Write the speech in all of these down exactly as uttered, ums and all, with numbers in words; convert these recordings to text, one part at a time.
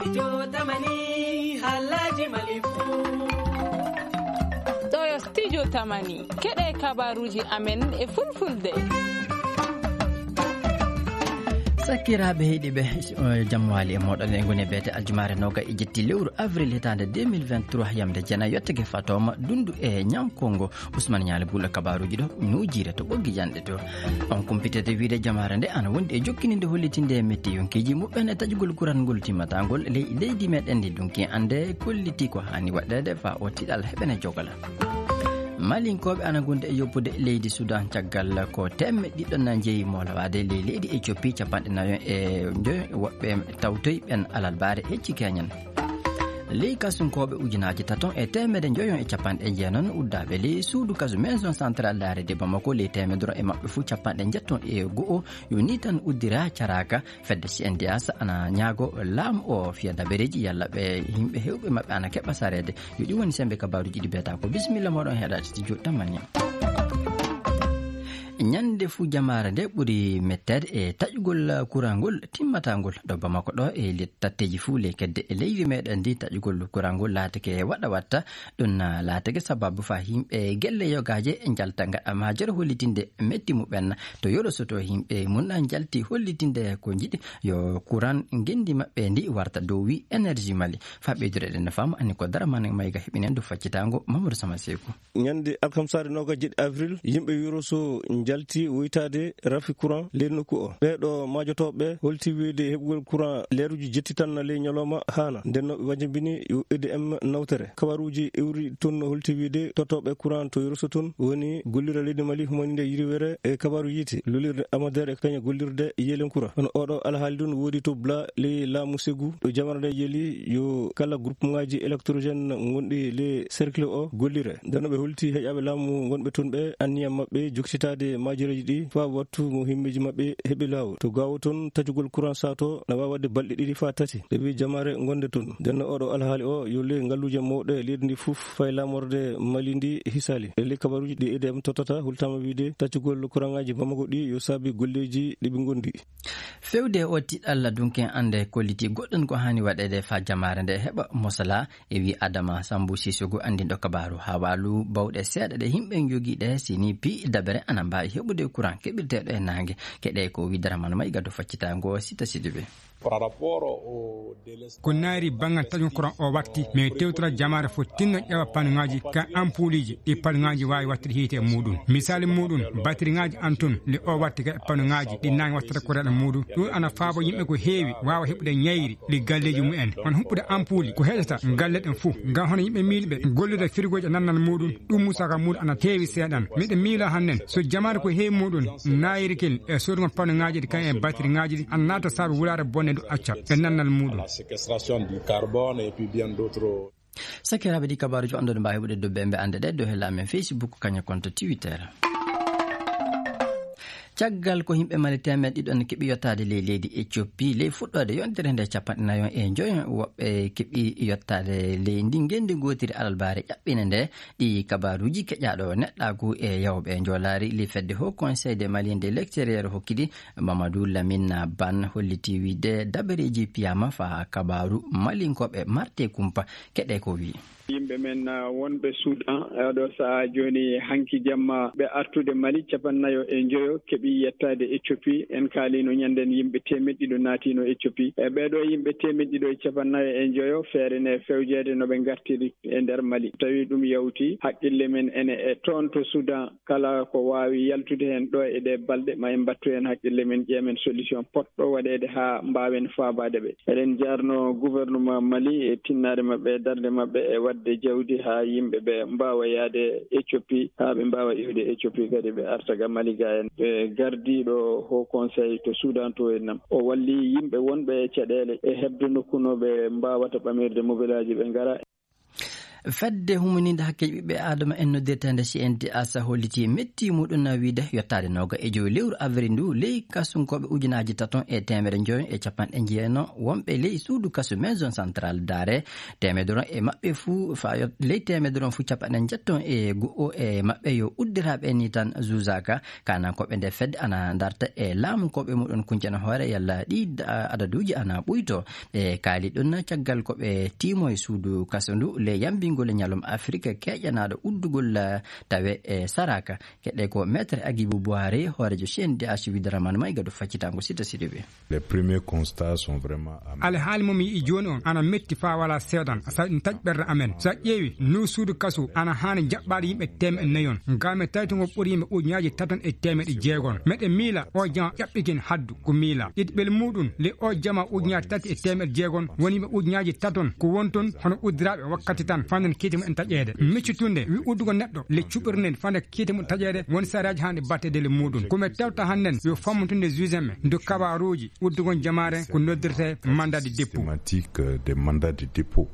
Studio Tamani, halaji Mali fu. Ɗo yo Studio Tamani, keɗe kabaruji amen e fulfulde. Sakkiraaɓe heɗiiɓe, eh, jam waali e mooɗon. E ngoni beete aljumaare nooga e jetti lewru avril hitaande deux mille vingt-trois, yamde jena yottake fatoma dundu e ñankongo. Ousmane Ñaali Buulo kabaruuji ɗo, nuujiire to ɓoggi janɗe to. On kumpitete wiide jamaare nde ana wondi e jokkininde hollitinde e metti yonkiiji muɓɓen e taƴugol kuran ngol timmataa ngol ley leydi meɗen ndi dunki ande kolliti ko hani waɗeede fa o tiɗal heɓene jogala. Malinkooɓe ana gondi e yoppude leydi Sudan caggal ko teemedde ɗiɗi na jeyi moolawaade ley leydi Ethiopie, capanɗe nayo e njoyo woɓɓe tawtoy ɓen alalbaare hecci keñen. Ley kasunkooɓe ujunaaji taton e teemedde njoyon e capanɗe jeenon uddaaɓe ley suudu kasu maison centrale laare de Bamako, ley teemedere e maɓɓe fuu capanɗe njetton e go'o yo ni tan uddira caraaka. Fedde C N D H ana ñaago laamu o fiya dabareeji yalla ɓe yimɓe heewɓe maɓɓe ana keɓa sareede. Yo ɗi woni sembe kabaruuji ɗi beeta ko. Bisimilla mooɗon heɗaade studio Tamani. Ñande fuu jamaare nde ɓuri metteede e taƴugol kurangol timmatangol ɗo Bamako ɗo e le-, tatteeji fuu ley kedde e leydi meɗen ndi taƴugol kurangol laatake waɗa watta. Ɗum na laatake sababu fa yimɓe gelle yogaaje njalta ngaɗa majere hollitinde metti muɓen to yoro soto yimɓe mun na njalti hollitinde ko njiɗi yo kuran ngendi maɓɓe ndi warta dow wi énergie Mali. Fa ɓeydude ɗen no fama anni ko dara man mayga heɓinen du faccitango Mamadou Sama Seku. Ñande alkamsaare noogaas e jeɗɗi avril, yimɓe Yoroso njalti woytaade rafi courant ley nokku o. Ɓee ɗo maajotooɓe holti wiyde heɓugol courant leeruuji jetti tan ley ñalawma haana. Nden no ɓe wajambini yo E D M nawtere. Kabaruuji iwri toon holti wiyde tottooɓe courant to Yoroso toon woni gollira leydi Mali humaninde yiriwere e kabaaru yiite, lolirde Amadere e kañe gollirde Yelen Kura. Kono oɗo alhaali ɗum woodi to Bla ley laamu Segu ɗo jamara nde yeli yo kala groupement ngaji électrogène ngonɗi ley cercle o gollire. Nden no ɓe holti heƴaaɓe laamu ngonɓe toon ɓe anniya maɓɓe jokkitaade maajereeji ɗi faa wattu mo himmeeji maɓɓe heɓi laawol. To Gaawo toon, taƴugol courant saato na waawi waɗde balɗe ɗiɗi faa tati. Ɓe mbii jamaare ngonde toon. Nden no oɗo alhaali o yo ley ngalluuje mawɗe leydi ndi fof fay laamorde Mali ndi hisaali. E ley kabaruuji ɗi E D M tottata, hultaama wiyde taƴugol courant ngaji Bamako ɗi yo saabi golleeji ɗi ɓe ngondi. Fewde o tiɗalla dunken annde kolliti goɗɗum ko haani waɗeede faa jamaare nde heɓa mosala. E wi Adama Sambu Sissogo anndinɗo kabaaru hawaalu bawɗe seeɗa ɗe yimɓe njogii ɗe sini pi dabere ana mbaawi heɓude courant keɓirteeɗo e naange. Keɗe ko wi Daraman May gaddo faccitaango Sita Sidibe. Par rapport au délestage. Ko naari banngal taƴugol courant o wakti, mais tewtora jamaare fof tinno ƴeewa panuŋaaji ka ampuuliji ɗi panuŋaaji waawi wattude hiite e muuɗum. Misaali muuɗum, batiriŋaaji an tun, le o watti ka panuŋaaji ɗi naange wattata courant e muuɗum. Ɗum ana faabo yimɓe ko heewi waawa heɓude ñayri ɗi galleeji mumen. Kono huɓɓude ampuuli ko heƴata galle ɗen fof. Ngam hono yimɓe miiliɓe gollude firigooji e nannal muuɗum, ɗum musaka muuɗum ana heewi seeɗan. Miɗo miila hannen, so jamaare ko heewi muuɗum, naayirkel e soodugol panuŋaaji ɗi kañum e batiriŋaaji ɗi, ana naata saabe wulaare bonde ndu acca e nannal muuɗum. La séquestration du carbone et puis bien d'autres. Sakiraaɓe ɗi kabaaruuji on ɗon mbaawi heɓude dubbe ɓe annde ɗe dow hella amen Facebook, kañum konto Twitter. Caggal ko yimɓe Mali teemeɗɗe ɗiɗon keɓi yottaade ley leydi Ethiopie, ley fuɗɗoode yontere nde capanɗe nayo e njoyo woɓɓe keɓi yottaade ley ndi ngenndi gootiri alalbaare ƴaɓɓine nde. Ɗi kabaaruuji keƴaaɗo neɗɗaagu e yawɓe njoolaari li fedde Haut Conseil de Malien de l'Extérieur hokkidi Mamadou Lamine Ban holliti wiide dabareeji piyaama faa kabaaru malinkooɓe marte kumpa. Keɗe ko wii. Yimɓe men, ah, wonɓe Sudan, eh, ɗo sahaa jooni hanki jamma ɓe artude Mali, capannayo e njoyo keɓi yettaade Ethiopie. En kaaliino ñannden yimɓe teemeɗɗe ɗiɗo naatiino Ethiopie. E ɓee ɗoo yimɓe teemeɗɗe ɗiɗo e capannayo e njoyo feere nde fewjeede no ɓe ngartiri e nder Mali. Tawi ɗum yawti haqqille men ene e toon to Sudan. Kala ko waawi yaltude heen ɗo e ɗee balɗe, ma en mbattu heen haqqille men, ƴeemen solution potɗo waɗeede haa mbaawen faabaade ɓe. Eɗen njaarnoo gouvernement Mali e tinnaare maɓɓe e darnde maɓɓe e waɗde jawdi haa yimɓe ɓe mbaawa yahde Ethiopie, haa ɓe mbaawa iwde Ethiopie kadi ɓe arta ga Mali ga en. Ɓe gardiiɗo Haut Conseil to Sudan to en nam, o walli yimɓe wonɓe e caɗeele e heɓde nokku no ɓe mbaawata ɓamirde mobilaaji ɓe ngara. Fedde humininde hakkeeji ɓiɓɓe Aadama en noddirteende C N D H hollitii metti muɗum na wiide yottaade nooga e jowi lewru avril ndu, ley kasunkooɓe ujunaaji taton e teemedde jowi e capanɗe jeeno wonɓe ley suudu kasu Maison Centrale Daare, teemedde ron e maɓɓe fuu, fa yo-, ley teemedde ron fuu capanɗe njetton e go'o e maɓɓe yo uddiraaɓe ni tan zuuzaaka. Kanankooɓe nde fedde ana darta e laamunkooɓe muɗum kuncana hoore yalla ɗi da-, adaduuji ana ɓuyto. Ɓe kaali ɗum caggal ko ɓe tiimo e suudu kaso ndu le yambingol e ñalawma Afirka keƴanaaɗo uddugol, eh, tawe e saraka. Keɗe ko Maître Agibou Boiré, hooreejo C N D H Widraman Maïga do faccitango Sita Sidibé. Les premiers constats sont vraiment amers. Alhaali mo mi yi'i jooni on ana metti faa walaa seedan, saɗi ɗum taƴi ɓerɗe amen. So a ƴeewi, ndu suudu kaso ana haani jaɓɓaade yimɓe teemeɗɗe nayi on. Ngam mi tawi to ngo ɓuri yimɓe ujunaaji taton e teemeɗɗe jeegom. Meɗen miila o jama ƴaɓɓikin haddu ko miila. Ɗiɗi ɓel muɗum, le o jama ujunaaji tati e teemeɗɗe jeegom, woni yimɓe ujunaaji taton ko won ton hono uddiraaɓe wakkati tan fanden kiite mumen taƴeede. Miccitunde wi uddugo neɗɗo le cuɓirnen fande kiite mum taƴeede woni sariyaaji haanɗi batteede le muɗum. Ko mi tewta hannden yo fammutunde juge en ɓe ndu kabaaruuji uddugon jamaare ko noddirte mandat de dépôt. Systématique, euh, des mandats de dépôt.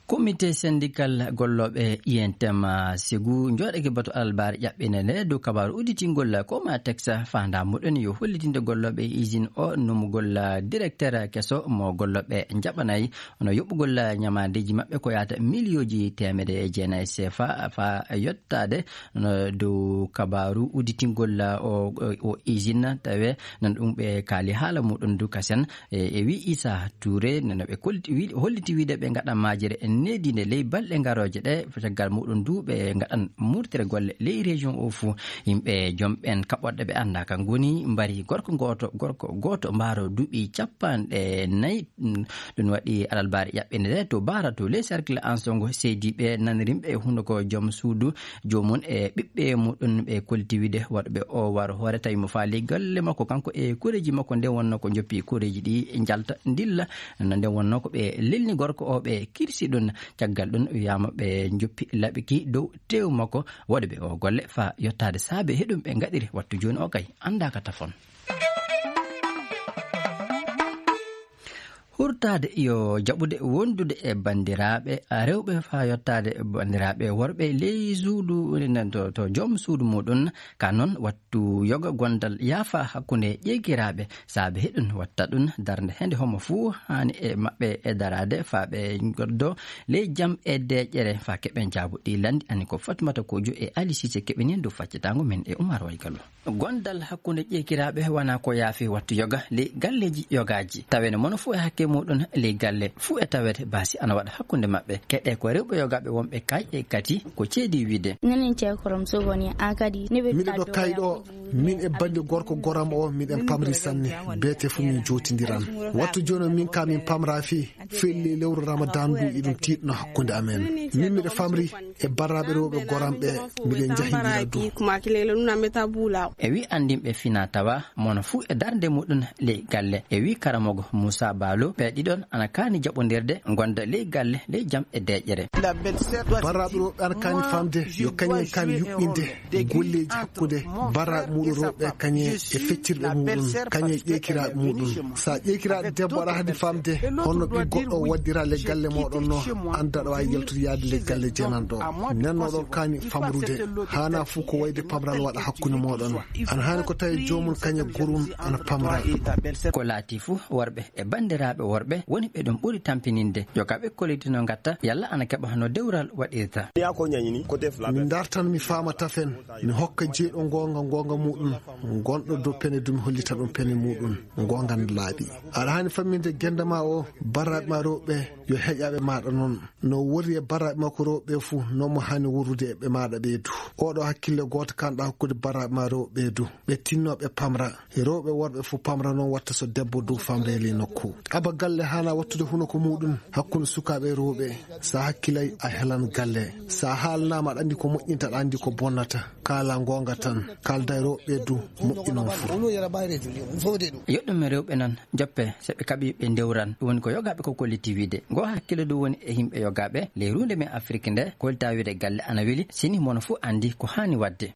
Comité syndical gollooɓe I N T M, ah, Ségou, jooɗake batu alarbaare ƴaɓɓinde nde dow kabaaru udditingol Comatex faandaa muɗum yo hollitinde gollooɓe e usine o numugol, ah, directeur keso mo gollooɓe njaɓanayi, hono yoɓugol, ah, ñamaandeeji maɓɓe ko yaata miliyooji teemedde e jeenayi C F A faa yottaade, no dow kabaaru udditingol, ah, o, o, o usine tawe nan ɗum ɓe kaali haala muɗum du kasen. E, e wi Issa Touré, no, no ɓe kolti-, wi-, holliti wiide ɓe ngaɗan maajere e neediinde ley balɗe ngarooje ɗe, caggal muɗum du ɓe ngaɗan murtere golle ley région o fuu. Yimɓe joom ɓen kaɓorɗe ɓe anndaa ka ngoni, mbari gorko gooto, gorko gooto mbaaro duuɓi capanɗe nayi. Mm, ɗum waɗi alarbaare ƴaɓɓinde nde to Baara to ley cercle Ansongo seediiɓe nanrimɓe e hunuko joom suudu joomum e ɓiɓɓe muɗum ɓe kolti wiide waɗuɓe o waro hoore tawi mo faali galle makko kanko e koreeji makko nde wonno ko njoppi koreeji ɗi njalta ndilla. No nde wonno ko ɓe lelni gorko o ɓe kirsi ɗum caggal ɗum wiyaama ɓe njoppi laɓiki dow tew makko waɗuɓe o golle faa yottaade saabe heɗum ɓe ngaɗiri wattu jooni o kay anndaaka tafon. Hurtaade yo jaɓude wondude e banndiraaɓe rewɓe faa yottaade banndiraaɓe worɓe ley suudu, to, to joom suudu muɗum. Ka noon, wattu yoga gondal yaafa hakkunde ƴeekiraaɓe, saabe heɗum watta ɗum darnde hende homo fuu haani e maɓɓe e daraade faa ɓe ngoddo ley jam e deeƴere faa keɓen jaabu ɗi lanndi. Ani ko Fatmata Kojo e Ali Sise keɓini ndu faccitaango men e Umar Waygalo. Gondal hakkunde ƴeekiraaɓe wonaa ko yaafi wattu yoga ley galleeji yogaaji. Tawene mono fuu e hakke muɗum ley galle fuu e tawete baasi ana waɗa hakkunde maɓɓe. Keɗe ko rewɓe yogaaɓe wonɓe kay e kati ko ceedi wiide. Nenen ceekorom sogoni akadi. Miɗo ɗo kay ɗo, min e bandi gorko goram o, miɗen pamri sanne. Beete fuu min jootindiran. Wattu jooni min ka min pamra fii, fii lewru Ramadan ndu iɗum tiiɗno hakkunde amen. Min miɗo famri e barraaɓe rewɓe goram ɓe, miɗen njahindira du. E wi anndinɓe fina tawa, mono fuu e darnde muɗum ley galle. E wi karamogo Muusa Baalo, ɓe ɗiɗon ana kaani jaɓondirde, gonda ley galle, ley jam e deeƴere. Barraaɓe rewɓe ana kaani famde, yo kañen kaani yuɓɓinde golleeji hakkunde barraaɓe muɗum rewɓe kañe e feccirɓe muɗum, kañe e ƴeekiraaɓe muɗum. Sa ƴeekiraaɗo debbo aɗa haani famde honno ɓii goɗɗo o waddira le galle moɗon no, annda aɗa waawi yaltude yaade le galle jeenanɗo. Nden oɗon kaani famrude, haana fuu ko wayde pamral waɗa hakkunde moɗon. Ana haani ko tawi joomum kañe gorum ana pamra. Ko laati fuu worɓe e banndiraaɓe worɓe woni ɓe ɗum ɓuri tampininde. Yo ka ɓe kollitino ngatta, yalla ana keɓa hono dewral waɗirta. Min dartan mi faama tafen, mi hokka jeyɗo goonga, goonga muɗum, gonɗo dow pene du mi hollita ɗum pene muɗum, goonga no laaɓi. Aɗa haani famminde gennde ma o, barraaɓe ma rewɓe, yo heƴaaɓe maaɗa noon. No worri e barraaɓe makko rewɓe fuu, noon mo haani worrude e ɓe maaɗa ɓee du. Oɗo hakkille gooto kanɗa hakkunde barraaɓe ma rewɓe du. Ɓe tinno ɓe pamra. Rewɓe worɓe fof pamra noon watta so debbo dow famre e ley nokku. Aba galle haana wattude hunuko muɗum hakkunde sukaaɓe rewɓe. Sa hakkilay a helan galle. Sa haalnaama aɗa anndi ko moƴƴinta aɗa anndi ko bonnata. Kaala goonga tan. Kaalda e rewɓe du moƴƴi noon fof. Yoɗɗume rewɓe noon joppe so ɓe kaɓi ɓe ndewran. Ɗum woni ko yogaaɓe ko kolliti wiide. Ngo hakkille ɗum woni e yimɓe yogaaɓe ley ruunde men Afrik nde kollita wiide galle ana weli sini mono fof anndi ko haani waɗde.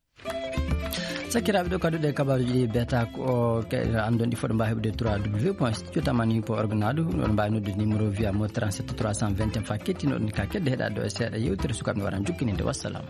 Sakiraaɓe, ɗo kadi ɗe kabaaruuji ɗi beeta ko ke-, anndon ɗi foɗo mbaawi heɓude trois w point studio tamani point org naadu. Ɗon mbaawi noddude numéro via mo trente-sept trois cent vingt et un fa kettinoɗon ka kedde heɗaade ɗo e seeɗa yewtere sukaaɓe no waran jukkininde. Wassalam.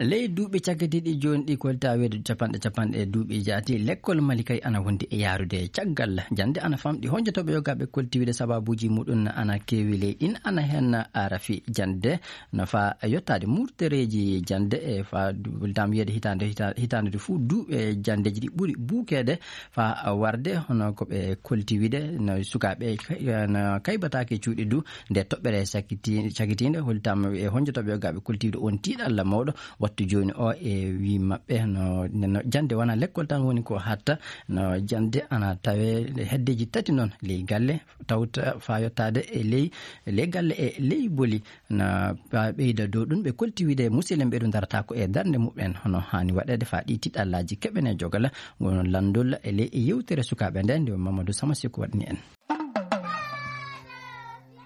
Ley duuɓi cakkitiiɗi jooni ɗi, kolta weedu capanɗe capanɗe e duuɓi jaati, lekkol Mali kay ana wondi e yaarude. Caggal jannde ana famɗi, honjotooɓe yogaaɓe koltiwide sababuuji muɗum ana keewi ley ɗin, ana heen arafi jannde no faa yottaade murtereeji jannde e faa du-, dam wiyeede hitaande, hita-, hitaande du fuu duuɓe janndeeji ɗi ɓuri buukeede faa warde, hono ko ɓe koltiwide no sukaaɓe kay-, no kaybataake cuuɗi du. Nde toɓɓere sakiti-, cakitiinde, hollitam e honjotooɓe yogaaɓe koltiwde on tiiɗalla mawɗo wattu jooni o e wii maɓɓe no, no jannde wona lekkol tan woni ko hatta, no jannde ana tawe heddeeji tati noon ley galle, tawta faa yottaade e ley, ley galle e ley boli. Na ɓeyda dow ɗum, ɓe kolti wiide musidɓe ɓe ɗum darata ko e darnde muɓɓen, hono haani waɗeede faa ɗi tiiɗallaaji keɓene jogala, won lanndol e ley e yewtere sukaaɓe nde, nde Mamadou Samasiko waɗani en.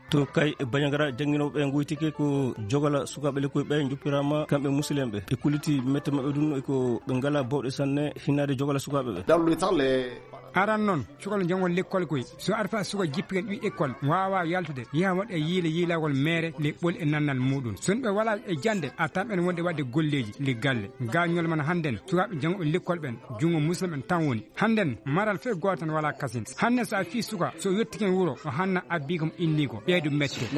To kay e Bandiagara, jannginooɓe ɓe ngoytike ko jogala sukaaɓe lekkoy ɓe njoppiraama kamɓe musidɓe ɓe. Ɓe kulliti mette maɓɓe ɗum e ko ɓe ngalaa bawɗe sanne hinnaade jogala sukaaɓe ɓe. Dans le temps, les Aran noon, cukalo janngol lekkol koy. So arfa suka jippiken ɓi ekkol, waawa yaltude, yaha waɗa yiile yiilawol meere, le ɓol e nannal muɗum. So ɓe wala e jannde, a tan ɓen wonde waɗde golleeji, le galle. Gañol man hannden, sukaaɓe janngooɓe lekkol ɓen, junngo musulɓe ɓen tan woni. Hannden, maral fee gooto tan wala kasin. Hannden so a fii suka, so yettiken wuro, o hanna abbi ko mo inni ko. Ɓeydu mette.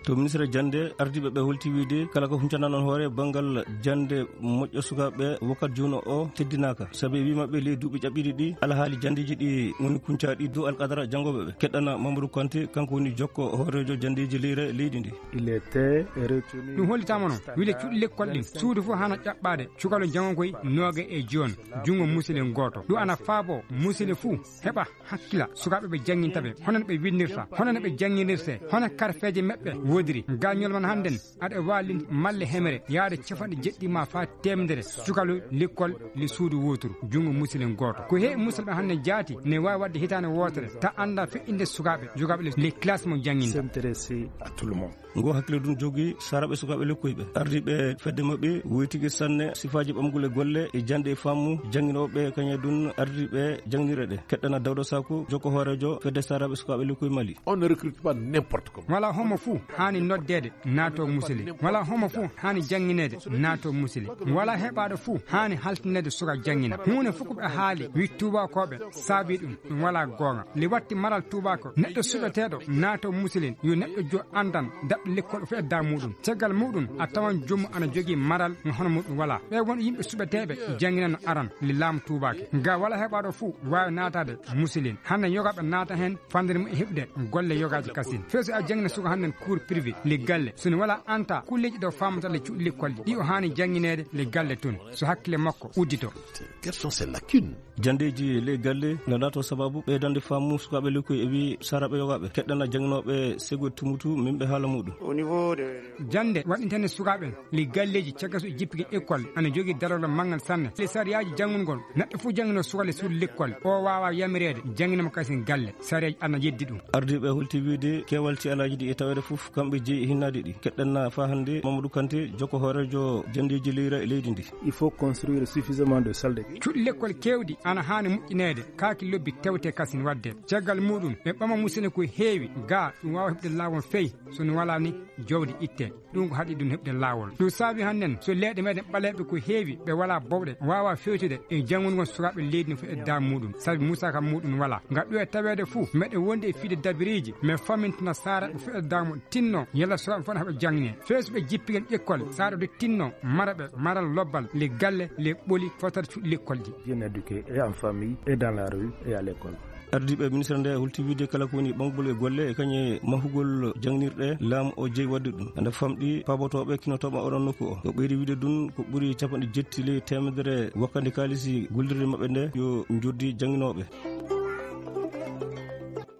To ministre jannde, ardiiɓe ɓe holti wiide kala ko huncana noon hoore banngal jannde moƴƴo sukaaɓe wakkat jooni o teddinaaka. Sabi wi maɓɓe ley duuɓi ƴaɓɓiɗi ɗi, alhaali janndeeji ɗi woni kuncaaɗi dow alqadara janngooɓe ɓe. Keɗɗana Mamadou Kanté, kanko woni jokko hooreejo janndeeji leyre leydi ndi. Il était retenu. Ɗum hollitama noon, wile cuuɗi lekkol ɗin, suudu fof hana ƴaɓɓaade, cukalo janngo koy nooge e jooni, junngo musilin gooto. Ɗum ana faabo musilin fuu heɓa hakkila sukaaɓe ɓe jannginta ɓe, hono no ɓe winndirta, hono no ɓe jannginirte, hono karfeeje maɓɓe woodiri. Gañol man hannden, aɗa waawi lindi malle hemere, yaade capanɗe jeɗɗi ma faa teemedere, cukalu lekkol le suudu wooturu, junngo musilin gooto. Ko heewi musidɓe hannden jaati, ne waawi waɗde hitaande wootere, ta annda feƴƴinde sukaaɓe, jogaaɓe le, le classe mo jannginta. S'intéresser à tout le monde. Ngo hakkille ɗum jogii saraɓe sukaaɓe lekkoy ɓe. Ardiiɓe fedde maɓɓe woytike sanne sifaaji ɓamgol e golle e jannde e faamu jannginooɓe kañe ɗum ardiiɓe jannginirɗe ɗe. Keɗɗana Dawda Saku, jokko hooreejo fedde saraɓe sukaaɓe lekkoy Mali. On ne recrute pas n'importe comment. Wala homo fuu haani noddeede naato musili. Wala homo fuu haani janngineede naato musili. Wala heɓaaɗo fuu haani haltineede suka janngina. Huunde fof ko ɓe haali, wi tuubakooɓe saabi ɗum. Ɗum wala goonga. Li watti maral tuubako. Neɗɗo suɓeteeɗo naato musilin, yo neɗɗo jo anndan daɓɓe lekkol o fedda muɗum. Caggal muɗum, a tawan jommu ana jogii maral mo hono muɗum wala. Ɓe won yimɓe suɓeteeɓe jannginano aran, li laamu tuubake. Nga wala heɓaaɗo fuu waawi naataade musilin. Hannde yogaaɓe naata heen fandere mum e heɓde golle yogaaji kasin. Fee so a janngina suka hannden cours privé, li galle. So ne wala anta, kulleeji ɗo faamata le cuuɗi lekkol ɗi. Ɗi o haani janngineede le galle tun. So hakkille makko uddito. Quelles sont ces lacunes? Janndeeji ley galle no laato sababu ɓeydande faamu sukaaɓe lekkoy e wi saraɓe yogaaɓe keɗɗana jannginooɓe sego tumutu min ɓe haala muɗum. Au niveau de Jannde waɗintene sukaaɓe le galleeji caggal so e jippige école ana jogii darorɗo manngal sanne. Le sariyaaji janngungol neɗɗo fof janngino suka le suudu lekkol o waawa yamireede jannginama kasin galle. Sariyaaji ana yeddi ɗum. Ardiiɓe holti wiide keewal ci alaaji ɗi e taweede fof kamɓe jeyi hinnaade ɗi. Keɗɗanna faa hannde Mamadou Kanté, jokko hooreejo janndeeji leyra e leydi ndi. Il faut construire suffisamment de salles de classe. Cuuɗi lekkol keewɗi ana haani moƴƴineede, kaaki lobbi tewte kasin waɗde. Caggal muɗum, ɓe ɓama musene ko heewi, gaa ɗum waawa heɓde laawol fey, so no walaa ni jowdi itte. Ɗum ko haɗi ɗum heɓde laawol. Ɗum saabi hannden, so leyɗe meɗen ɓaleeɓe ko heewi, ɓe walaa bowɗe, waawa fewtude e janngungol sukaaɓe leydi no foti e daamu muɗum, sabi musaaka muɗum walaa. Ngal ɗo e taweede fuu, meɗen wondi e fiide dabiriiji, mais famintina saara ɓe foti e daamu tinno, yalla sukaaɓe fof ne haɓa janngine. Fewsuɓe jippigen ƴekkol, saara ɗo tinno, mara ɓe, maral lobbal, le galle, le ɓoli, fotar cuuɗi lekkol ɗi. Bien éduqué, et en famille, et dans la rue, et à l'école. Ardiiɓe ministre nde holti wiide kala ko woni ɓamgol e golle e kañe mahugol jangnirɗe, laamu o jeyi waɗde ɗum. Nde famɗi paabotooɓe kinotooɓe oɗon nokku o. Ko ɓeydi wiide ɗum ko ɓuri capanɗe jetti ley teemedere wakkande kaalisi gollirde maɓɓe nde yo njoddi jannginooɓe.